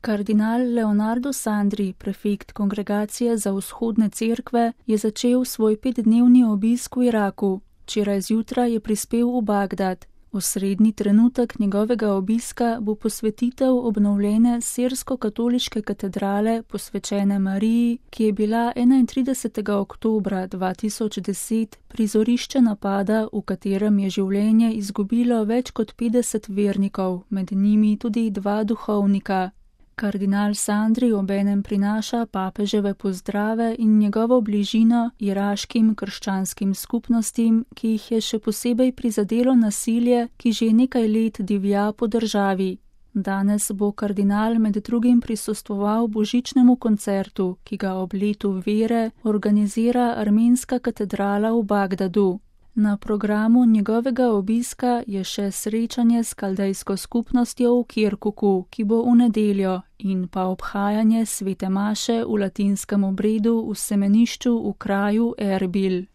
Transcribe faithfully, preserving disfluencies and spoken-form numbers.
Kardinal Leonardo Sandri, prefekt Kongregacije za vzhodne cerkve, je začel svoj petdnevni obisk v Iraku. Včeraj zjutraj je prispel v Bagdad. Osrednji trenutek njegovega obiska bo posvetitev obnovljene sirsko-katoliške katedrale posvečene Mariji, ki je bila enaintridesetega oktobra dva tisoč deset prizorišče napada, v katerem je življenje izgubilo več kot petdeset vernikov, med njimi tudi dva duhovnika. Kardinal Sandri obenem prinaša papeževe pozdrave in njegovo bližino iraškim krščanskim skupnostim, ki jih je še posebej prizadelo nasilje, ki že nekaj let divja po državi. Danes bo kardinal med drugim prisostvoval božičnemu koncertu, ki ga ob letu vere organizira armenska katedrala v Bagdadu. Na programu njegovega obiska je še srečanje s kaldejsko skupnostjo v Kirkuku, ki bo v nedeljo, in pa obhajanje svete maše v latinskem obredu v semenišču v kraju Erbil.